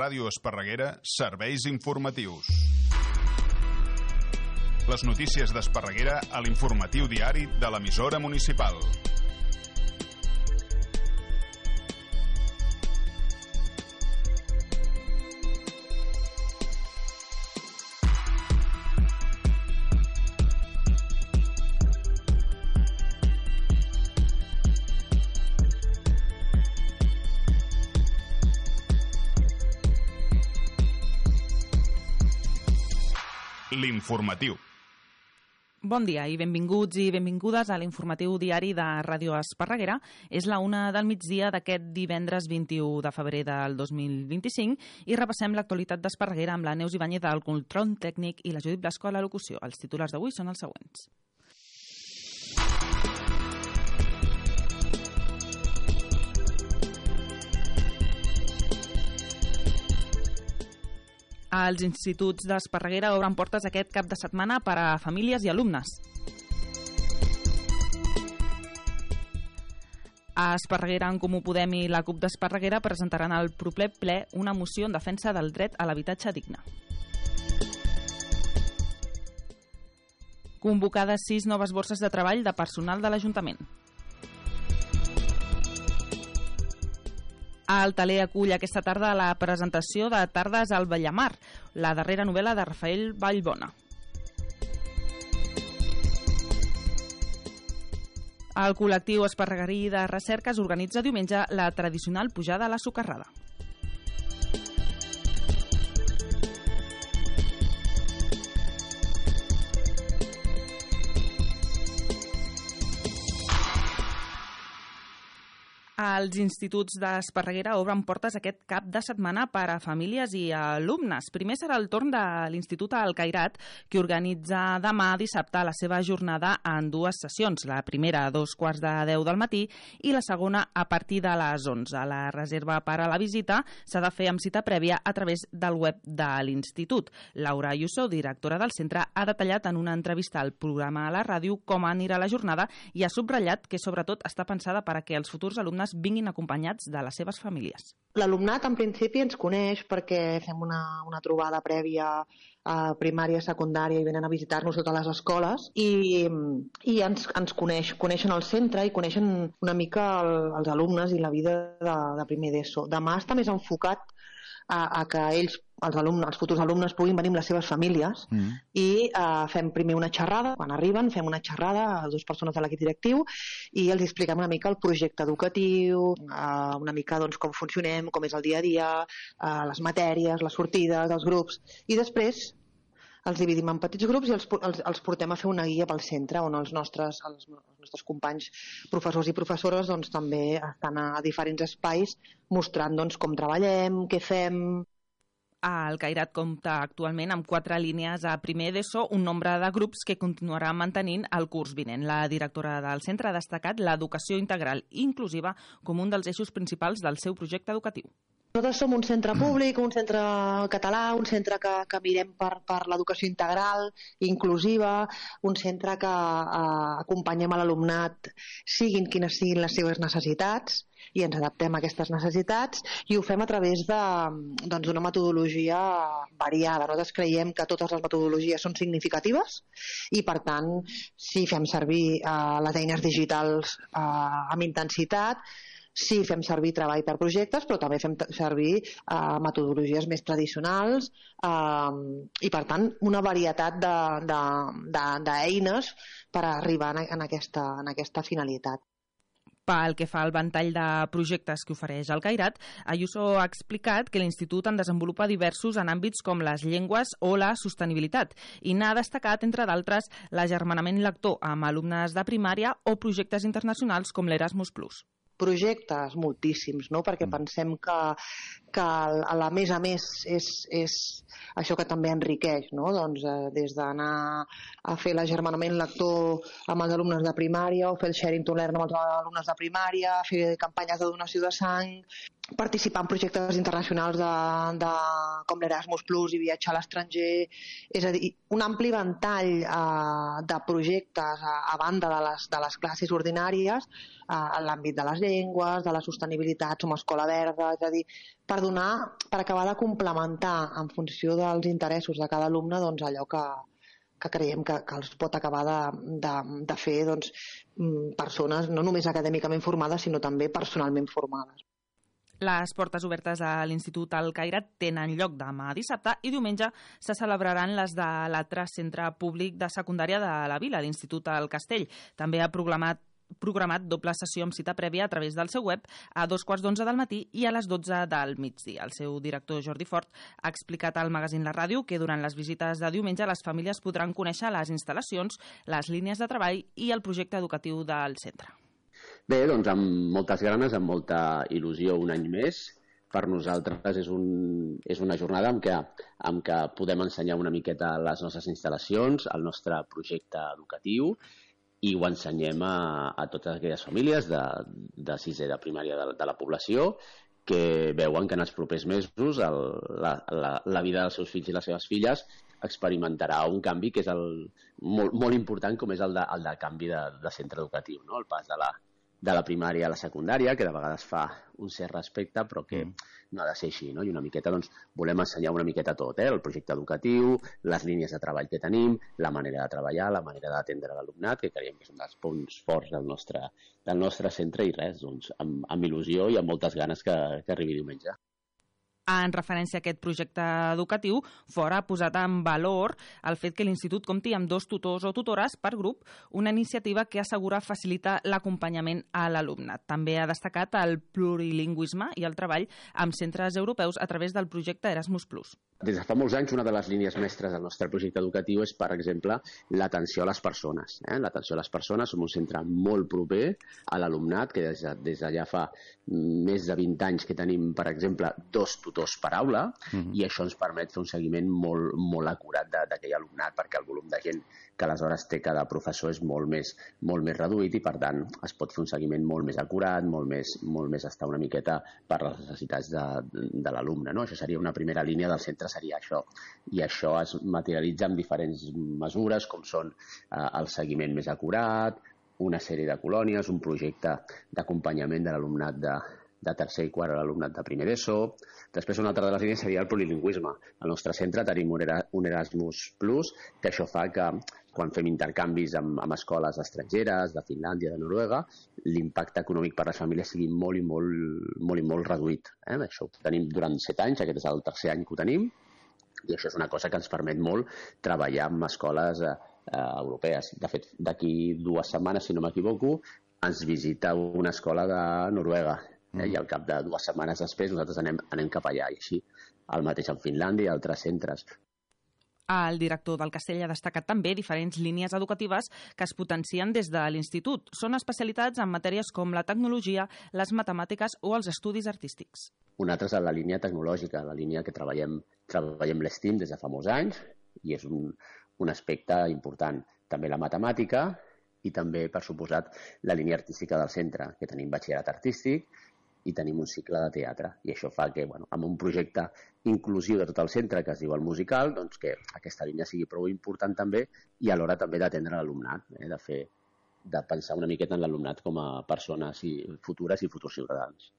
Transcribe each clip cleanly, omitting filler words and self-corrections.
Ràdio Esparreguera, serveis informatius. Les notícies d'Esparreguera a l'informatiu diari de l'emissora municipal. L'informatiu. Bon dia i benvinguts i benvingudes a l'informatiu diari de Ràdio Esparreguera. És la 1 del migdia d'aquest divendres 21 de febrer del 2025 i repassem l'actualitat d'Esparreguera amb la Neus Ibáñez al control tècnic i la Judit Blasco a la locució. Els titulars d'avui són els següents. Els instituts d'Esparreguera obren portes aquest cap de setmana per a famílies i alumnes. A Esparreguera, en Comú Podem i la CUP d'Esparreguera presentaran al proper ple una moció en defensa del dret a l'habitatge digne. Convocades 6 noves borses de treball de personal de l'Ajuntament. El Taler acull aquesta tarda la presentació de Tardes al Bellamar, la darrera novel·la de Rafael Vallbona. El col·lectiu esparreguerí de recerca organitza diumenge la tradicional pujada a la Socarrada. Els instituts d'Esparreguera obren portes aquest cap de setmana per a famílies i alumnes. Primer serà el torn de l'Institut Alcairat, que organitza demà dissabte la seva jornada en 2 sessions. La primera a 2:15 del matí i la segona a partir de les 11. La reserva per a la visita s'ha de fer amb cita prèvia a través del web de l'Institut. Laura Ayuso, directora del centre, ha detallat en una entrevista al programa a la ràdio com anirà la jornada i ha subratllat que sobretot està pensada per a que els futurs alumnes vinguin acompanyats de les seves famílies. L'alumnat en principi ens coneix perquè fem una trobada prèvia a primària, secundària i venen a visitar-nos totes les escoles i ens coneixen el centre i coneixen una mica els alumnes i la vida de primer d'ESO. Demà està més enfocat a que ells, els futurs alumnes, puguin venir amb les seves famílies i fem primer una xerrada, quan arriben fem una xerrada a 2 persones de l'equip directiu i els expliquem una mica el projecte educatiu, una mica doncs, com funcionem, com és el dia a dia, les matèries, les sortides, els grups, i després els dividim en petits grups i els portem a fer una guia pel centre on els nostres companys professors i professores doncs, també estan a diferents espais mostrant doncs, com treballem, què fem. El Cairat compta actualment amb 4 línies a primer d'ESO, un nombre de grups que continuarà mantenint el curs vinent. La directora del centre ha destacat l'educació integral i inclusiva com un dels eixos principals del seu projecte educatiu. Nosaltres som un centre públic, un centre català, un centre que mirem per l'educació integral, inclusiva, un centre que acompanyem a l'alumnat siguin quines siguin les seves necessitats i ens adaptem a aquestes necessitats i ho fem a través d'una metodologia variada. Nosaltres creiem que totes les metodologies són significatives i per tant si fem servir les eines digitals amb intensitat, sí, fem servir treball per projectes, però també fem servir metodologies més tradicionals i, per tant, una varietat d'eines per arribar en aquesta finalitat. Pel que fa al ventall de projectes que ofereix el Cairat, Ayuso ha explicat que l'Institut en desenvolupa diversos en àmbits com les llengües o la sostenibilitat i n'ha destacat, entre d'altres, l'agermanament lector amb alumnes de primària o projectes internacionals com l'Erasmus+. Projectes moltíssims, no? Perquè pensem que a més és això que també enriqueix, no? Doncs, des d'anar a fer l'agermanament lector amb els alumnes de primària o fer el sharing to learn amb els alumnes de primària, fer campanyes de donació de sang, participar en projectes internacionals com l'Erasmus Plus i viatjar a l'estranger, és a dir, un ampli ventall de projectes a banda de les classes ordinàries en l'àmbit de les llengües, de la sostenibilitat, som escola verda, és a dir, per acabar de complementar en funció dels interessos de cada alumne doncs, allò que creiem que els pot acabar de fer doncs, persones no només acadèmicament formades, sinó també personalment formades. Les portes obertes a l'Institut El Cairat tenen lloc demà dissabte i diumenge se celebraran les de l'altre centre públic de secundària de la vila, l'Institut El Castell. També ha programat doble sessió amb cita prèvia a través del seu web a 2:15 del matí i a les 12 del migdia. El seu director, Jordi Fort, ha explicat al magazín La Ràdio que durant les visites de diumenge les famílies podran conèixer les instal·lacions, les línies de treball i el projecte educatiu del centre. Bé, doncs amb moltes ganes, amb molta il·lusió un any més. Per nosaltres és una jornada en què podem ensenyar una miqueta les nostres instal·lacions, el nostre projecte educatiu, i ho ensenyem a totes aquelles famílies de sisè de primària de la població que veuen que en els propers mesos la vida dels seus fills i les seves filles experimentarà un canvi que és molt important, com és el de canvi de centre educatiu, no? El pas de la primària a la secundària, que de vegades fa un cert respecte, però que no ha de ser així, no? I una miqueta, doncs, volem ensenyar una miqueta tot, el projecte educatiu, les línies de treball que tenim, la manera de treballar, la manera d'atendre l'alumnat, que creiem que és un dels punts forts del nostre centre, i res, doncs, amb il·lusió i amb moltes ganes que arribi diumenge. En referència a aquest projecte educatiu, Fort ha posat en valor el fet que l'Institut compti amb 2 tutors o tutores per grup, una iniciativa que assegura facilita l'acompanyament a l'alumnat. També ha destacat el plurilingüisme i el treball amb centres europeus a través del projecte Erasmus+. Des de fa molts anys, una de les línies mestres del nostre projecte educatiu és, per exemple, l'atenció a les persones. L'atenció a les persones, som un centre molt proper a l'alumnat, que des de ja fa més de 20 anys que tenim, per exemple, 2 tutors per aula, i això ens permet fer un seguiment molt acurat d'aquell alumnat, perquè el volum de gent que aleshores té cada professor és molt més reduït i, per tant, es pot fer un seguiment molt més acurat, molt més estar una miqueta per les necessitats de l'alumne, no? Això seria una primera línia del centre, seria això. I això es materialitza en diferents mesures, com són el seguiment més acurat, una sèrie de colònies, un projecte d'acompanyament de l'alumnat de tercer i quart a l'alumnat de primer d'ESO. Després, una altra de les línies seria el plurilingüisme. Al nostre centre tenim un Erasmus+, que això fa que quan fem intercanvis amb escoles estrangeres, de Finlàndia, de Noruega, l'impacte econòmic per a les famílies sigui molt reduït. Això ho tenim durant 7 anys, aquest és el tercer any que ho tenim, i això és una cosa que ens permet molt treballar amb escoles europees. De fet, d'aquí 2 setmanes, si no m'equivoco, ens visita una escola de Noruega, i al cap de 2 setmanes després nosaltres anem cap allà, i així el mateix en Finlàndia i altres centres. El director del Castell ha destacat també diferents línies educatives que es potencien des de l'Institut. Són especialitats en matèries com la tecnologia, les matemàtiques o els estudis artístics. Una altra és la línia tecnològica, la línia que treballem l'STEAM des de fa molts anys, i és un aspecte important. També la matemàtica i també, per suposat, la línia artística del centre, que tenim batxillerat artístic i tenim un cicle de teatre. I això fa que, amb un projecte inclusiu de tot el centre, que es diu el musical, doncs que aquesta línia sigui prou important també, i alhora també d'atendre l'alumnat, de pensar una miqueta en l'alumnat com a persones futures i futurs ciutadans.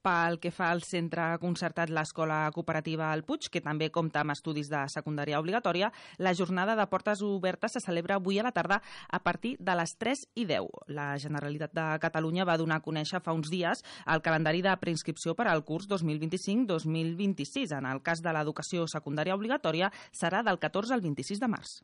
Pel que fa al centre concertat l'Escola Cooperativa El Puig, que també compta amb estudis de secundària obligatòria, la jornada de portes obertes se celebra avui a la tarda a partir de les 3:10. La Generalitat de Catalunya va donar a conèixer fa uns dies el calendari de preinscripció per al curs 2025-2026. En el cas de l'educació secundària obligatòria serà del 14 al 26 de març.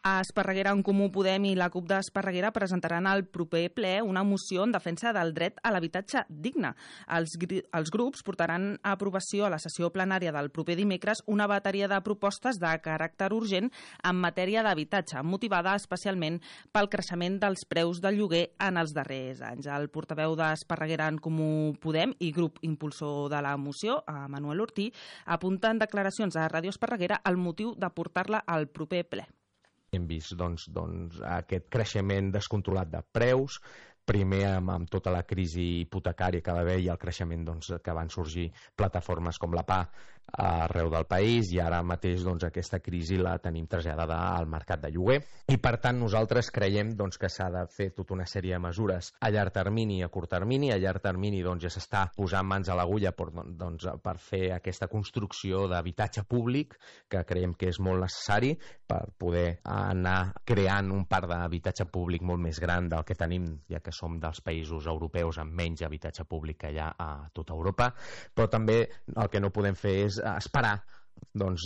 A Esparreguera, en Comú Podem i la CUP d'Esparreguera presentaran al proper ple una moció en defensa del dret a l'habitatge digne. Els grups portaran a aprovació a la sessió plenària del proper dimecres una bateria de propostes de caràcter urgent en matèria d'habitatge, motivada especialment pel creixement dels preus del lloguer en els darrers anys. El portaveu d'Esparreguera, en Comú Podem i grup impulsor de la moció, Manuel Ortí, apunta en declaracions a Ràdio Esparreguera el motiu de portar-la al proper ple. Hem vist aquest creixement descontrolat de preus, primer amb tota la crisi hipotecària que va haver i el creixement que van sorgir plataformes com la PA arreu del país i ara mateix aquesta crisi la tenim traslladada al mercat de lloguer i per tant nosaltres creiem que s'ha de fer tota una sèrie de mesures a llarg termini i a curt termini. A llarg termini ja s'està posant mans a l'agulla per fer aquesta construcció d'habitatge públic que creiem que és molt necessari per poder anar creant un parc d'habitatge públic molt més gran del que tenim, ja que som dels països europeus amb menys habitatge públic que hi ha a tota Europa, però també el que no podem fer és esperar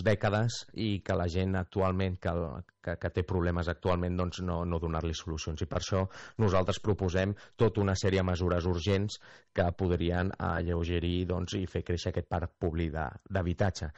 dècades i que la gent actualment que té problemes actualment no donar-li solucions, i per això nosaltres proposem tota una sèrie de mesures urgents que podrien alleugerir i fer créixer aquest parc públic d'habitatge.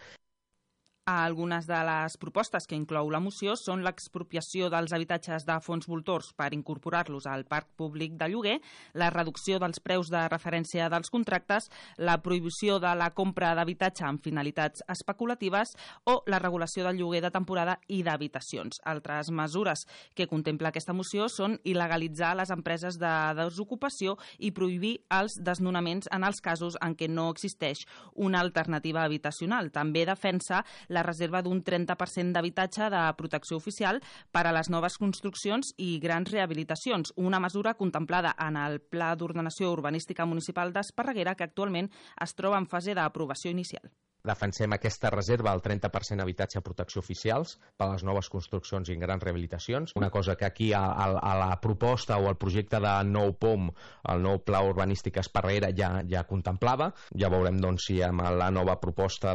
Algunes de les propostes que inclou la moció són l'expropiació dels habitatges de fons voltors per incorporar-los al parc públic de lloguer, la reducció dels preus de referència dels contractes, la prohibició de la compra d'habitatge amb finalitats especulatives o la regulació del lloguer de temporada i d'habitacions. Altres mesures que contempla aquesta moció són il·legalitzar les empreses de desocupació i prohibir els desnonaments en els casos en què no existeix una alternativa habitacional. També defensa la reserva d'un 30% d'habitatge de protecció oficial per a les noves construccions i grans rehabilitacions, una mesura contemplada en el Pla d'Ordenació Urbanística Municipal d'Esparreguera que actualment es troba en fase d'aprovació inicial. Defensem aquesta reserva al 30% d'habitatge a protecció oficials per a les noves construccions i grans rehabilitacions. Una cosa que aquí a la proposta o al projecte de nou POM, el nou Pla Urbanístic Esparreguera ja contemplava. Ja veurem si amb la nova proposta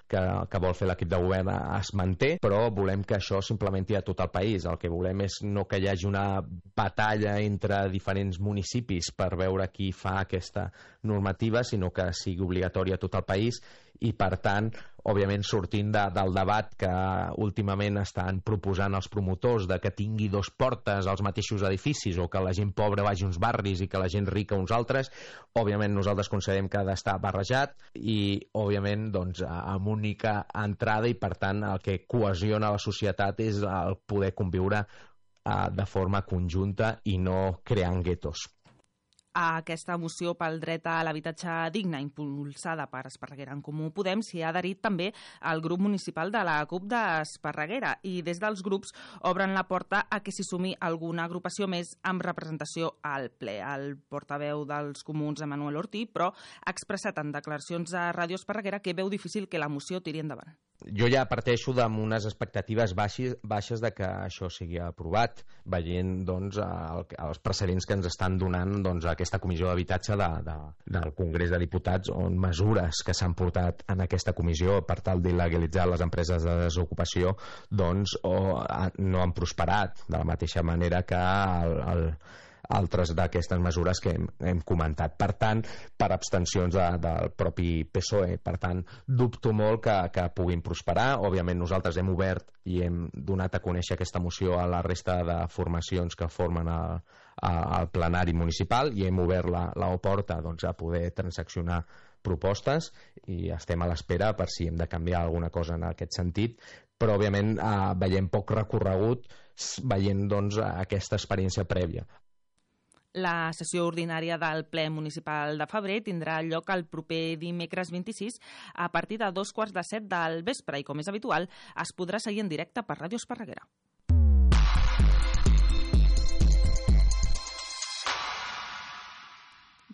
que vol fer l'equip de govern es manté, però volem que això s'implementi a tot el país. El que volem és no que hi hagi una batalla entre diferents municipis per veure qui fa aquesta normativa, sinó que sigui obligatòria a tot el país i, per tant, òbviament sortint del debat que últimament estan proposant els promotors de que tingui dos portes als mateixos edificis o que la gent pobra vagi a uns barris i que la gent rica a uns altres, òbviament nosaltres considerem que ha d'estar barrejat i, òbviament, amb única entrada i, per tant, el que cohesiona la societat és el poder conviure de forma conjunta i no creant guetos. A aquesta moció pel dret a l'habitatge digne impulsada per Esparreguera en Comú Podem s'hi ha adherit també el grup municipal de la CUP d'Esparreguera i des dels grups obren la porta a que s'hi sumi alguna agrupació més amb representació al ple. El portaveu dels comuns, Emmanuel Ortí, però ha expressat en declaracions a Ràdio Esparreguera que veu difícil que la moció tiri endavant. Jo ja parteixo d'unes expectatives baixes de que això sigui aprovat, veient els precedents que ens estan donant aquesta comissió d'habitatge del Congrés de Diputats, on mesures que s'han portat en aquesta comissió per tal d'il·legalitzar les empreses de desocupació no han prosperat, de la mateixa manera que altres d'aquestes mesures que hem comentat. Per tant, per abstencions del propi PSOE. Per tant, dubto molt que puguin prosperar. Òbviament, nosaltres hem obert i hem donat a conèixer aquesta moció a la resta de formacions que formen el plenari municipal i hem obert la porta a poder transaccionar propostes i estem a l'espera per si hem de canviar alguna cosa en aquest sentit, però òbviament veiem poc recorregut veient aquesta experiència prèvia. La sessió ordinària del ple municipal de febrer tindrà lloc el proper dimecres 26 a partir de 6:45 del vespre i, com és habitual, es podrà seguir en directe per Ràdio Esparreguera.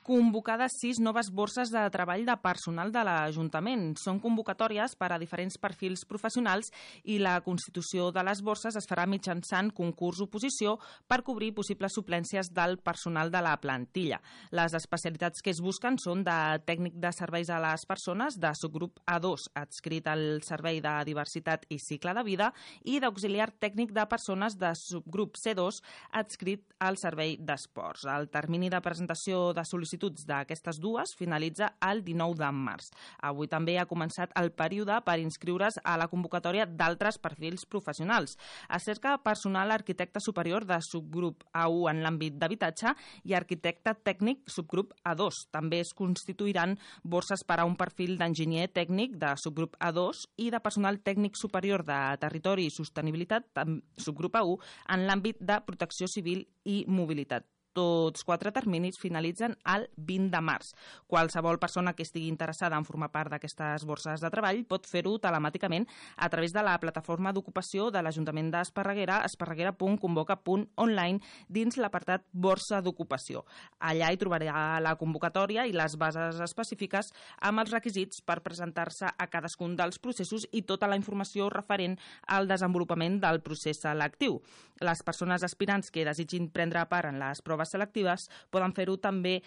Convocades 6 noves borses de treball de personal de l'Ajuntament. Són convocatòries per a diferents perfils professionals i la constitució de les borses es farà mitjançant concurs-oposició per cobrir possibles suplències del personal de la plantilla. Les especialitats que es busquen són de tècnic de serveis a les persones, de subgrup A2, adscrit al Servei de Diversitat i Cicle de Vida, i d'auxiliar tècnic de persones de subgrup C2, adscrit al Servei d'Esports. El termini de presentació de sol·licituds d'aquestes dues finalitza el 19 de març. Avui també ha començat el període per inscriure's a la convocatòria d'altres perfils professionals. Es cerca personal arquitecte superior de subgrup A1 en l'àmbit d'habitatge i arquitecte tècnic subgrup A2. També es constituiran borses per a un perfil d'enginyer tècnic de subgrup A2 i de personal tècnic superior de territori i sostenibilitat subgrup A1 en l'àmbit de protecció civil i mobilitat. Tots 4 terminis finalitzen el 20 de març. Qualsevol persona que estigui interessada en formar part d'aquestes borses de treball pot fer-ho telemàticament a través de la plataforma d'ocupació de l'Ajuntament d'Esparreguera, esparreguera.convoca.online, dins l'apartat Borsa d'Ocupació. Allà hi trobarà la convocatòria i les bases específiques amb els requisits per presentar-se a cadascun dels processos i tota la informació referent al desenvolupament del procés selectiu. Les persones aspirants que desitgin prendre part en les proves selectives poden fer-ho també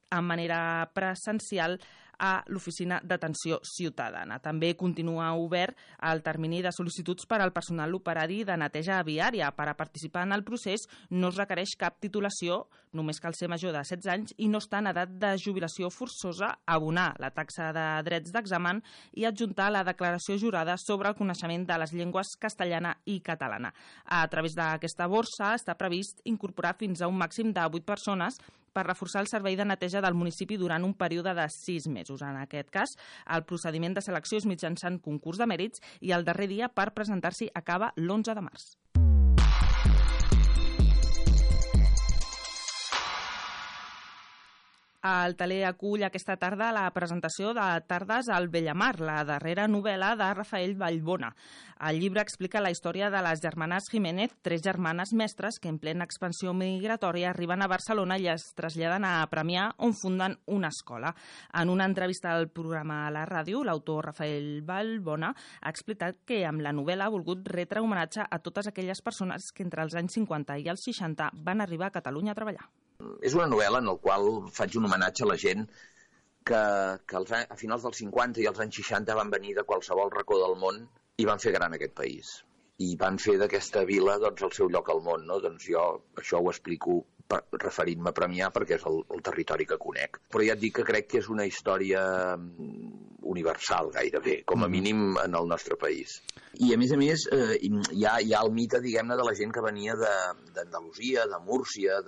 de manera presencial a l'Oficina d'Atenció Ciutadana. També continua obert el termini de sol·licituds per al personal operari de neteja viària. Per a participar en el procés no es requereix cap titulació, només cal ser major de 16 anys i no estar en edat de jubilació forçosa, abonar la taxa de drets d'examen i adjuntar la declaració jurada sobre el coneixement de les llengües castellana i catalana. A través d'aquesta borsa està previst incorporar fins a un màxim de 8 persones per reforçar el servei de neteja del municipi durant un període de 6 mesos. En aquest cas, el procediment de selecció és mitjançant concurs de mèrits i el darrer dia per presentar-s'hi acaba l'11 de març. El Taler acull aquesta tarda la presentació de Tardes al Bellamar, la darrera novel·la de Rafael Vallbona. El llibre explica la història de les germanes Jiménez, 3 germanes mestres que en plena expansió migratòria arriben a Barcelona i es traslladen a Premià, on funden una escola. En una entrevista al programa a la ràdio, l'autor Rafael Vallbona ha explicat que amb la novel·la ha volgut retre homenatge a totes aquelles persones que entre els anys 50 i els 60 van arribar a Catalunya a treballar. És una novel·la en la qual faig un homenatge a la gent que a finals dels 50 i als anys 60 van venir de qualsevol racó del món i van fer gran aquest país. I van fer d'aquesta vila el seu lloc al món. Doncs jo això ho explico referint-me a Premià perquè és el territori que conec. Però ja et dic que crec que és una història universal gairebé, com a mínim en el nostre país. I a més hi ha el mite, diguem-ne, de la gent que venia d'Andalusia, de Múrcia,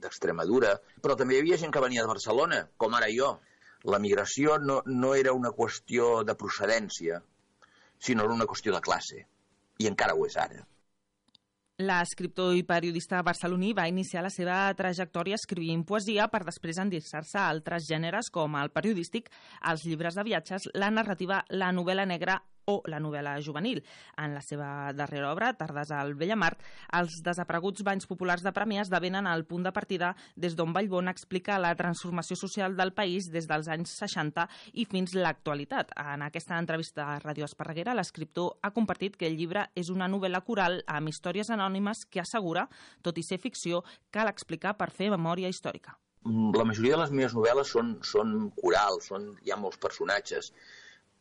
d'Extremadura, però també hi havia gent que venia de Barcelona, com ara jo. La migració no era una qüestió de procedència, sinó una qüestió de classe, i encara ho és ara. L'escriptor i periodista barceloní va iniciar la seva trajectòria escrivint poesia per després endinsar-se a altres gèneres com el periodístic, els llibres de viatges, la narrativa, la novel·la negra o la novel·la juvenil. En la seva darrera obra, Tardes al Bellamar, els desapareguts banys populars de Premià esdevenen el punt de partida des d'on Vallbona explica la transformació social del país des dels anys 60 i fins l'actualitat. En aquesta entrevista a Ràdio Esparreguera, l'escriptor ha compartit que el llibre és una novel·la coral amb històries anònimes que assegura, tot i ser ficció, cal explicar per fer memòria històrica. La majoria de les meves novel·les són corals, hi ha molts personatges,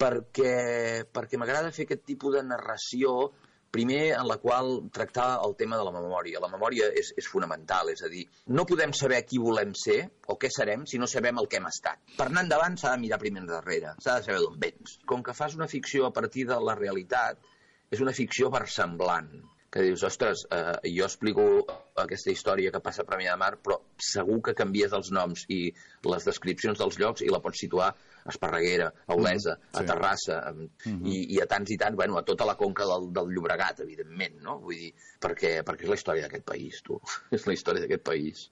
perquè m'agrada fer aquest tipus de narració, primer en la qual tractar el tema de la memòria. La memòria és fonamental, és a dir, no podem saber qui volem ser o què serem si no sabem el que hem estat. Per anar endavant s'ha de mirar primer endarrere, s'ha de saber d'on vens. Com que fas una ficció a partir de la realitat, és una ficció versemblant, que dius, ostres, jo explico aquesta història que passa a Premià de Mar, però segur que canvies els noms i les descripcions dels llocs i la pots situar a Esparreguera, a Olesa, a Terrassa, i a tants i tants, bueno, a tota la conca del Llobregat, evidentment, no? Vull dir, perquè és la història d'aquest país, tu. És la història d'aquest país.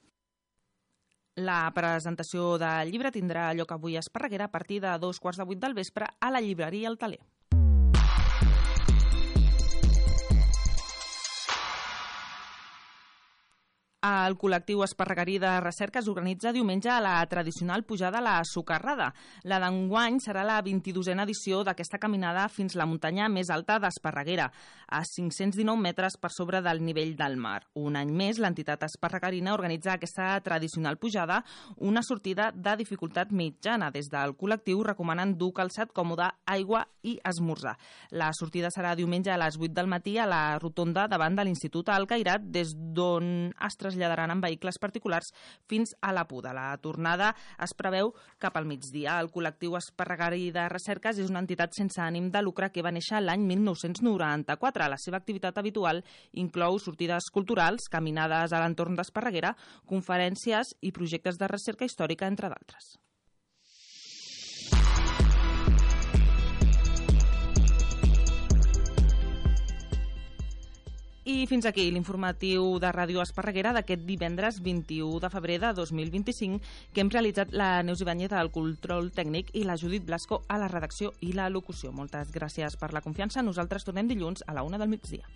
La presentació del llibre tindrà lloc avui a Esparreguera a partir de 2:15 del vespre a la llibreria El Taler. El col·lectiu esparreguerí de recerca s'organitza diumenge a la tradicional pujada a la Socarrada. La d'enguany serà la 22a edició d'aquesta caminada fins la muntanya més alta d'Esparreguera, a 519 metres per sobre del nivell del mar. Un any més, l'entitat esparreguerina organitza aquesta tradicional pujada, una sortida de dificultat mitjana. Des del col·lectiu recomanen dur calçat còmode, aigua i esmorzar. La sortida serà diumenge a les 8 del matí a la rotonda davant de l'Institut Alcairat, des d'on es traslladaran en vehicles particulars fins a la Puda. La tornada es preveu cap al migdia. El col·lectiu esparreguerí de recerques és una entitat sense ànim de lucre que va néixer l'any 1994. La seva activitat habitual inclou sortides culturals, caminades a l'entorn d'Esparreguera, conferències i projectes de recerca històrica, entre d'altres. I fins aquí l'informatiu de Ràdio Esparreguera d'aquest divendres 21 de febrer de 2025, que hem realitzat la Neus Ibáñez al control tècnic i la Judit Blasco a la redacció i la locució. Moltes gràcies per la confiança. Nosaltres tornem dilluns a la 1 del migdia.